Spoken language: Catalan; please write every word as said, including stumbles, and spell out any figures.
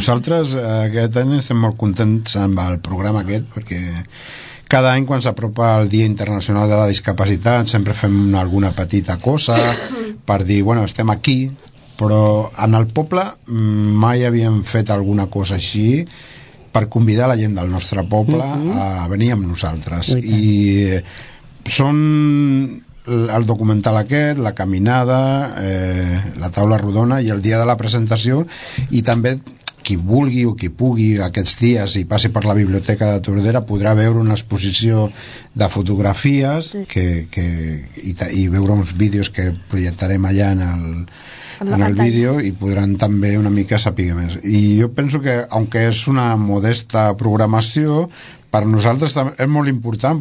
nosaltres aquest any estem molt contents amb el programa aquest, perquè cada any quan s'apropa el Dia Internacional de la Discapacitat sempre fem alguna petita cosa per dir, bueno, estem aquí, però en el poble mai havíem fet alguna cosa així per convidar la gent del nostre poble a venir amb nosaltres. I són el documental aquest, la caminada, eh, la taula rodona i el dia de la presentació, i també qui vulgui o qui pugui aquests dies i passi per la biblioteca de Tordera podrà veure una exposició de fotografies sí. que, que, i, i veure uns vídeos que projectarem allà en el, en el vídeo, i podran també una mica saber més. I jo penso que, aunque és una modesta programació, per nosaltres és molt important